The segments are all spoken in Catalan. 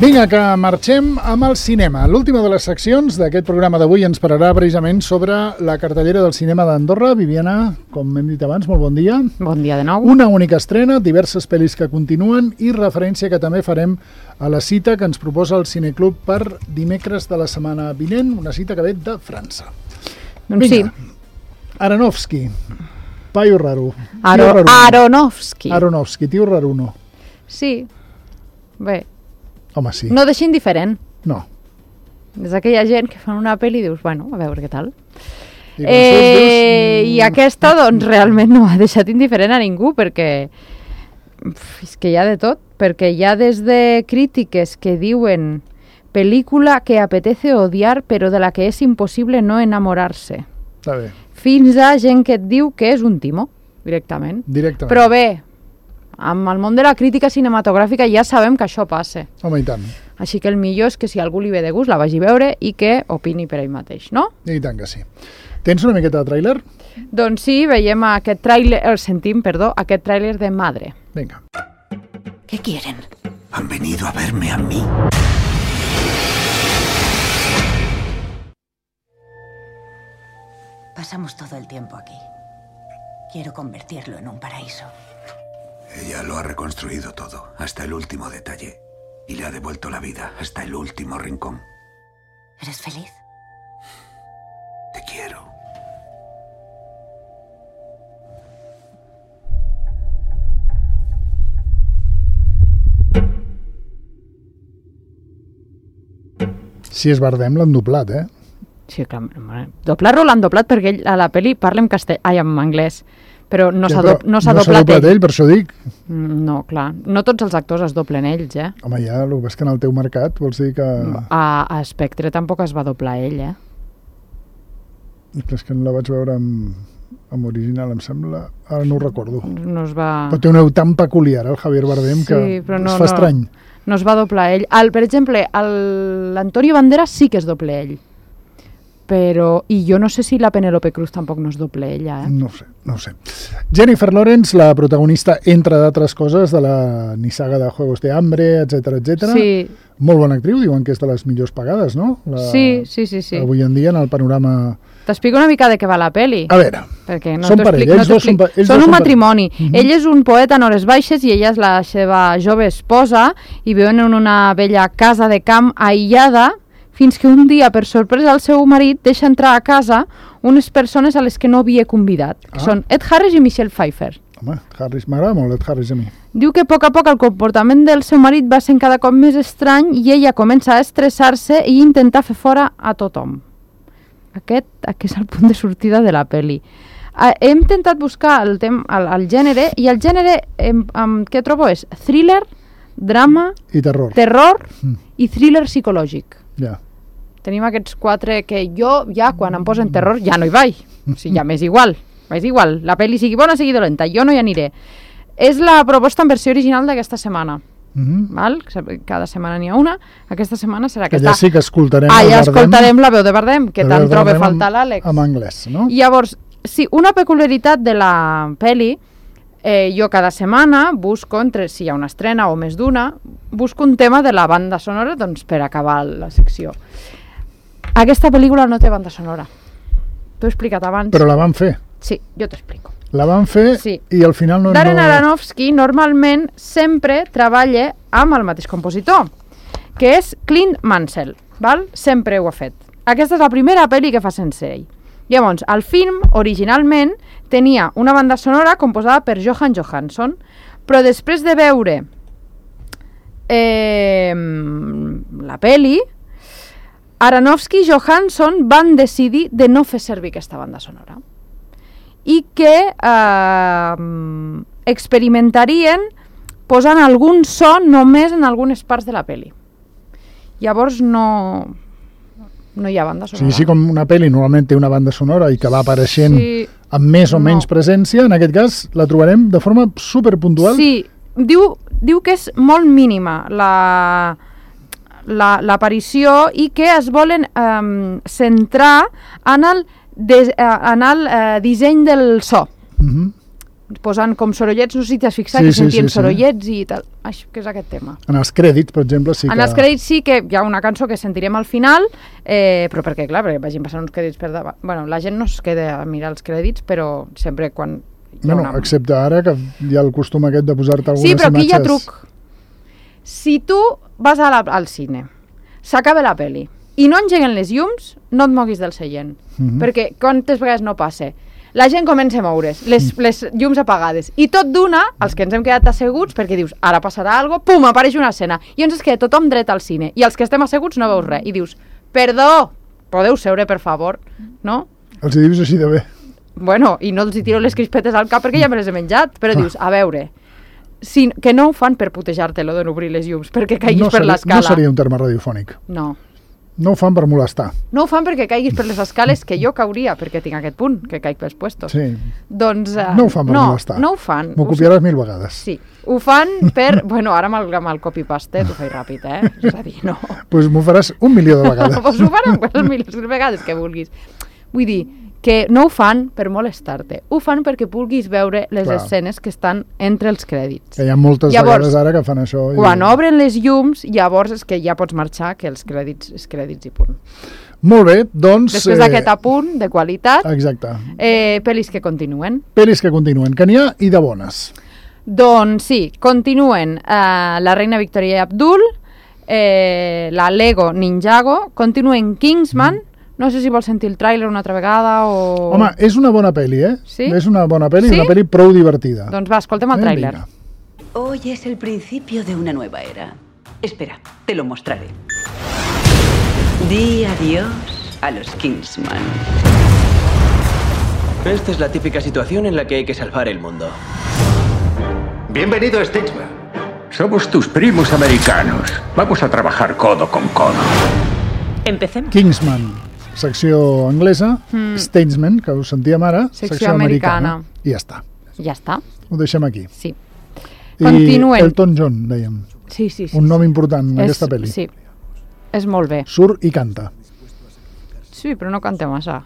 Vinga, que marxem amb el cinema. L'última de les seccions d'aquest programa d'avui ens pararà precisament sobre la cartellera del cinema d'Andorra. Viviana, com hem dit abans, molt bon dia. Bon dia de nou. Una única estrena, diverses pel·lis que continuen i referència que també farem a la cita que ens proposa el Cineclub per dimecres de la setmana vinent, una cita que ve de França. Doncs Vinga. Sí. Aronofsky. Paio raro. Aronofsky, tio raruno. Sí. Bé. Home, sí. No deixa indiferent. No. És aquella gent que fan una pel·li i dius, bueno, a veure què tal. I aquesta, doncs, realment no ha deixat indiferent a ningú, perquè és que hi ha de tot, perquè hi ha des de crítiques que diuen pel·lícula que apetece odiar però de la que és impossible no enamorar-se. Està bé. Fins a gent que et diu que és un timo, directament. Però bé, amb el món de la crítica cinematogràfica ja sabem que això passa. Home, i tant. Així que el millor és que si algú li ve de gust la vagi a veure i que opini per ell mateix, no? I tant que sí. Tens una miqueta de tràiler? Doncs sí, veiem aquest tràiler, aquest tràiler de Madre. Venga. ¿Qué quieren? Han venido a verme a mí. Pasamos todo el tiempo aquí. Quiero convertirlo en un paraíso. Ella lo ha reconstruido todo, hasta el último detalle. Y le ha devuelto la vida hasta el último rincón. ¿Eres feliz? Te quiero. Si és Bardem, l'han doblat, eh? Sí, clar. Doblar-lo l'han doblat perquè ell a la pel·li parla en anglès. Però no s'ha doblat ell. No s'ha doblat ell, per això dic. No, clar. No tots els actors es doblen ells, eh? Home, ja, el que és que en el teu mercat vols dir que... A Spectre tampoc es va doblar ell, eh? És que la vaig veure amb original, em sembla... Ara no ho recordo. No es va... Però té un veu tan peculiar, el Javier Bardem, que es fa estrany. No es va doblar ell. Per exemple, l'Antonio Banderas sí que es doble ell. Però... I jo no sé si la Penélope Cruz tampoc no es doble ella, eh? No ho sé. Jennifer Lawrence, la protagonista, entre d'altres coses, de la nissaga de Juegos de Hambre, etc. Sí. Molt bona actriu, diuen que és de les millors pagades, no? Sí. Avui en dia, en el panorama... T'explico una mica de què va la peli. A veure, perquè no són parella, ells dos són un matrimoni. Ell és un poeta en hores baixes i ella és la seva jove esposa i viuen en una vella casa de camp aïllada fins que un dia, per sorpresa, el seu marit deixa entrar a casa unes persones a les que no havia convidat, que són Ed Harris i Michelle Pfeiffer. Home, Harris, m'agrada molt Ed Harris a mi. Diu que a poc el comportament del seu marit va sent cada cop més estrany i ella comença a estressar-se i intentar fer fora a tothom. Aquest és el punt de sortida de la pel·li. Hem intentat buscar el gènere i el gènere que trobo és thriller, drama i terror i thriller psicològic. Ja. Tenim aquests quatre que jo ja quan em posen terror ja no hi vaig. O sigui, ja m'és igual. La pel·li sigui bona, sigui dolenta, jo no hi aniré. És la proposta en versió original d'aquesta setmana. Val? Cada setmana n'hi ha una. Aquesta setmana serà aquesta. Allà sí que escoltarem escoltarem la veu de Bardem, que tant troba faltar l'Àlex. En anglès, no? Llavors, sí, una peculiaritat de la pel·li, jo cada setmana busco, si hi ha una estrena o més d'una, busco un tema de la banda sonora doncs, per acabar la secció. Aquesta pel·lícula no té banda sonora. T'ho he explicat abans. Però la van fer. Sí, jo t'explico. La van fer i al final no... Darren Aronofsky normalment sempre treballa amb el mateix compositor, que és Clint Mansell, val? Sempre ho ha fet. Aquesta és la primera pel·li que fa sense ell. Llavors, el film originalment tenia una banda sonora composada per Johan Johansson, però després de veure la pel·li, Aronofsky i Johansson van decidir de no fer servir aquesta banda sonora i que experimentarien posant algun so només en algunes parts de la pel·li. Llavors no hi ha banda sonora. Sí, com una pel·li normalment té una banda sonora i que va apareixent amb més o menys presència, en aquest cas la trobarem de forma superpuntual. Sí, diu que és molt mínima l'aparició i que es volen centrar en el disseny del so. posant com sorollets, no sé si t'has fixat, que sentíem sorollets i tal. Això, que és aquest tema. En els crèdits, per exemple, sí que... En els crèdits sí que hi ha una cançó que sentirem al final, però perquè, clar, perquè vagin passant uns crèdits per davant. Bueno, la gent no es queda a mirar els crèdits, però sempre quan... excepte ara, que hi ha el costum aquest de posar-te algunes imatges... Sí, però aquí hi ha truc. Si tu vas al cine, s'acaba la peli, i no engeguen les llums, no et moguis del seient. Perquè quantes vegades no passa? La gent comença a moure's, les llums apagades, i tot d'una, els que ens hem quedat asseguts, perquè dius, ara passarà alguna cosa, pum, apareix una escena, i ens es queda tothom dret al cine, i els que estem asseguts no veus res, i dius, perdó, podeu seure, per favor, no? Els hi dius així de bé. Bueno, i no els hi tiro les crispetes al cap perquè ja me les he menjat, però dius, a veure, que no ho fan per putejar-te lo d'obrir les llums, perquè caiguis per l'escala. No seria un terme radiofònic. No. No ho fan per molestar. No ho fan perquè caiguis per les escales, que jo cauria, perquè tinc aquest punt, que caic pels puestos. Sí. Doncs... no ho fan per molestar. No ho fan. M'ho copiaràs 1000 vegades. Sí. Ho fan per... Bueno, ara amb el copy-paste t'ho faig ràpid, És a dir, no. Doncs m'ho faràs 1.000.000 de vegades. Doncs ho faran les milions de vegades que vulguis. Vull dir, que no ho fan per molestar-te, ho fan perquè vulguis veure les escenes que estan entre els crèdits. Que hi ha moltes vegades ara que fan això. Quan obren les llums, llavors és que ja pots marxar, que els crèdits i punt. Molt bé, doncs... Després d'aquest apunt de qualitat, exacte. Pel·lis que continuen. Pel·lis que continuen, que n'hi ha i de bones. Doncs sí, continuen La reina Victoria i Abdul, la Lego Ninjago, continuen Kingsman. No sé si vols sentir el tràiler una altra vegada o... Home, és una bona pel·li, Sí? És una bona pel·li, ¿Sí? Una pel·li prou divertida. Doncs va, escoltem el tràiler. Hoy es el principio de una nueva era. Espera, te lo mostraré. Di adiós a los Kingsman. Esta es la típica situación en la que hay que salvar el mundo. Bienvenido, Statesman. Somos tus primos americanos. Vamos a trabajar codo con codo. Empecemos. Kingsman, secció anglesa, Statesman, que ho sentíem ara, secció americana. I ja està. Ja està. Ho deixem aquí. Sí. Continuen. I Elton John, dèiem. Sí. Un nom important en aquesta pel·li. Sí, és molt bé. Surt i canta. Sí, però no canta massa.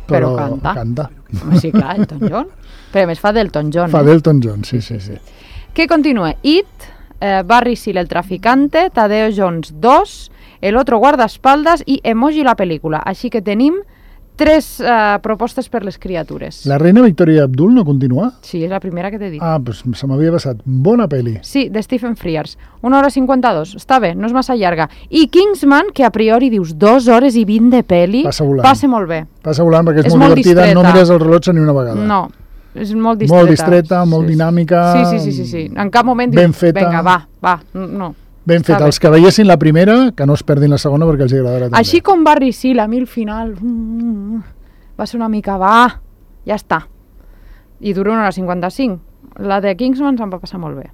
Però canta. Canta. Sí, clar, Elton John. Però a més fa d'Elton John. Fa d'Elton John, sí. Què continua? It, Barry Seal el traficante, Tadeo Jones 2, El otro guardaespaldas i Emoji la pel·lícula. Així que tenim 3 propostes per les criatures. La reina Victoria Abdul no continua? Sí, és la primera que t'he dit. Ah, doncs se m'havia passat. Bona pel·li. Sí, de Stephen Frears. 1 hora 52. Està bé, no és massa llarga. I Kingsman, que a priori dius 2 hores i 20 de pel·li, passa molt bé. Passa volant perquè és molt divertida. Distreta. No mires el rellotge ni una vegada. No, és molt distreta. Molt distreta, molt dinàmica. Sí. En cap moment ben dius, feta. vinga, va, no. Ben fet. Els que veiessin la primera, que no es perdin la segona perquè els agradarà també. Així com Barry Seal, a mi al final va ser una mica, ja està. I dura 1 hora 55. La de Kingsman se'm va passar molt bé.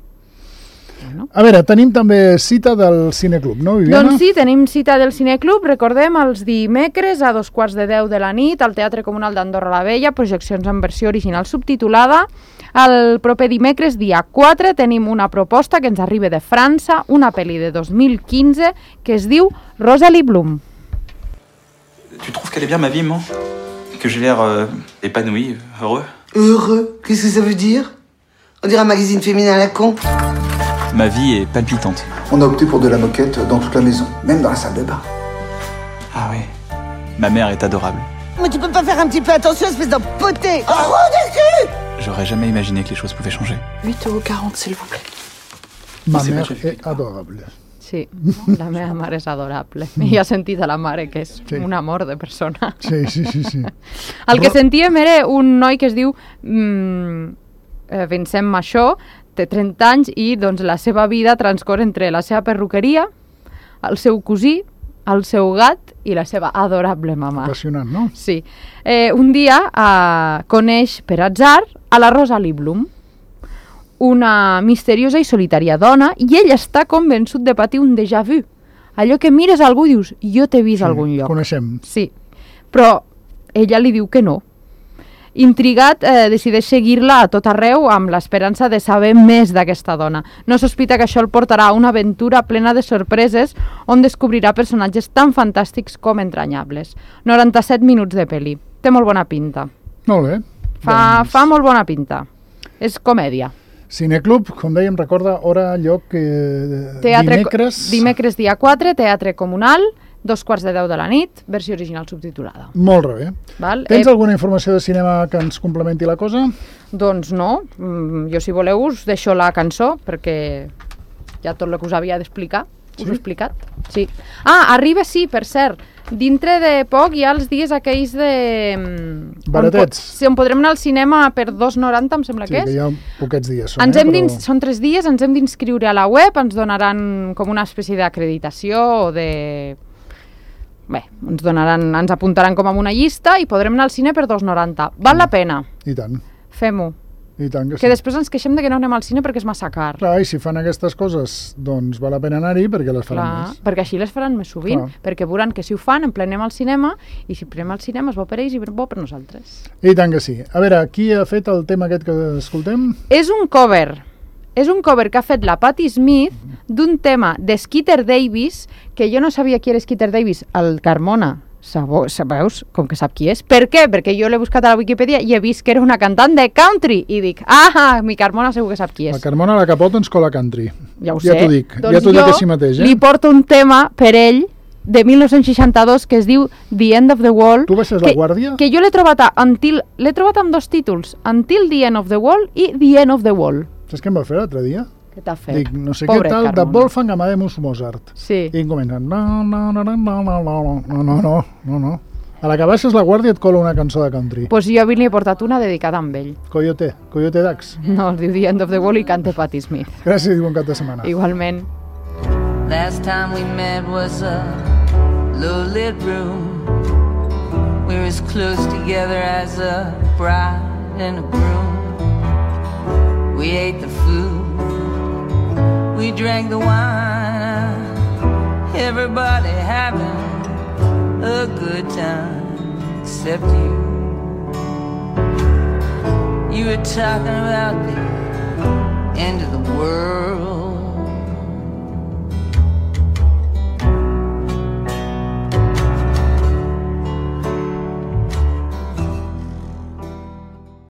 Bueno. A veure, tenim també cita del Cineclub, no, Viviana? Doncs sí, tenim cita del Cineclub, recordem, els dimecres a 2:15 de la nit, al Teatre Comunal d'Andorra la Vella, projeccions en versió original subtitulada. El proper dimecres, dia 4, tenim una proposta que ens arriba de França, una pel·li de 2015 que es diu Rosalie Bloom. Tu trouves qu'elle est bien ma vie, maman? Que j'ai l'air épanoui, heureux? Heureux? Qu'est-ce que ça veut dire? On dirait un magazine féminin à la con. Ma vie est palpitante. On a opté pour de la moquette dans toute la maison, même dans la salle de bain. Ah oui, ma mère est adorable. Mais tu peux pas faire un petit peu attention, espèce d'empoté! Oh, des cul! J'aurais jamais imaginé que les choses pouvaient changer. 8,40 €, s'il vous plaît. Ma mère est adorable. Sí, la meva mare és adorable. I ha sentit a la mare, que és un amor de persona. Sí. El que sentíem era un noi que es diu Vincent Machó, té 30 anys i doncs, la seva vida transcorre entre la seva perruqueria, el seu cosí, el seu gat i la seva adorable mama. Apassionant, no? Sí. Un dia coneix per atzar a la Rosalie Bloom, una misteriosa i solitària dona, i ell està convençut de patir un déjà vu. Allò que mires a algú i dius, jo t'he vist a algun lloc. Coneixem. Sí, però ella li diu que no. Intrigat, decideix seguir-la a tot arreu amb l'esperança de saber més d'aquesta dona. No sospita que això el portarà a una aventura plena de sorpreses on descobrirà personatges tan fantàstics com entranyables. 97 minuts de pel·li. Té molt bona pinta. Molt bé. Fa molt bona pinta. És comèdia. Cineclub, com dèiem, recorda hora, lloc, dimecres... Dimecres dia 4, Teatre Comunal, 2:15 de la nit, versió original subtitulada. Molt bé. Val? Tens alguna informació de cinema que ens complementi la cosa? Doncs no. Jo, si voleu, us deixo la cançó, perquè ja tot el que us havia d'explicar, us ho he explicat. Sí. Arriba, sí, per cert. Dintre de poc hi ha els dies aquells de... Baratets. On podrem anar al cinema per 2,90, em sembla que és. Sí, que hi ha poquets dies. Són 3 dies, ens hem d'inscriure a la web, ens donaran com una espècie d'acreditació o de... Bé, ens apuntaran com a una llista i podrem anar al cine per 2,90. Val la pena. I tant. Fem-ho. I tant que sí. Que després ens queixem de que no anem al cine perquè és massa car. Clar, i si fan aquestes coses, doncs val la pena anar-hi perquè les faran més. Perquè així les faran més sovint, perquè veuran que si ho fan, emplenem al cinema, i si emplenem al cinema és bo per ells i bo per nosaltres. I tant que sí. A veure, qui ha fet el tema aquest que escoltem? És un cover que ha fet la Patti Smith d'un tema de Skeeter Davis, que jo no sabia qui era Skeeter Davis, el Carmona. Veus? Com que sap qui és. Per què? Perquè jo l'he buscat a la Wikipedia i he vist que era una cantant de country i dic, mi Carmona segur que sap qui és. La Carmona la capota ens cola country. Ja ho sé. Ja t'ho dic, doncs ja t'ho dic així mateix. Li porto un tema per ell de 1962 que es diu The End of the Wall. Tu baixes la guàrdia? Que jo l'he trobat amb 2 títols, Until the End of the Wall i The End of the Wall. Saps què em va fer l'altre dia? Què t'ha fet? Dic, no sé Pobre què tal, Carmona. de Wolfgang Amadeus Mozart. Sí. I em comença, no. A la que baixes la guàrdia et cola una cançó de country. Pues jo avui li he portat una dedicada amb ell. Coyote Dax. No, es diu The End of the Wall i canta Patti Smith. Gràcies i bon cap de setmana. Igualment. Last time we met was a low-lit room. We were as close together as a bride and a groom. We ate the food, we drank the wine, everybody having a good time, except you. You were talking about the